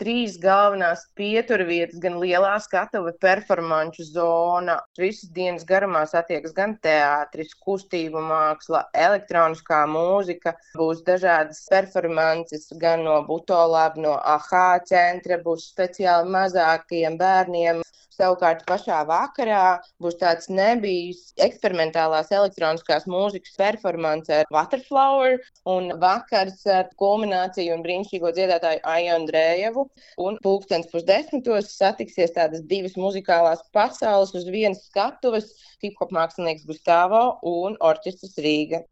3 galvenās pieturvietas, gan lielā skatuve, performanču zona. Visas dienas garumā satiekas gan teātris, kustību māksla, elektroniskā mūzika. Būs dažādas performances gan no Butolab, no AHA centra, būs speciāli mazākajiem bērniem. Savukārt pašā vakarā būs tāds nebijis eksperimentālās elektroniskās mūzikas performance ar Waterflower un vakars ar kulmināciju un brīnišķīgo dziedātāju Aiju Andrejevu. Un 9:30 satiksies tādas 2 muzikālās pasaules uz vienas skatuves - hip-hop mākslinieks Gustavo un orķestris Rīga.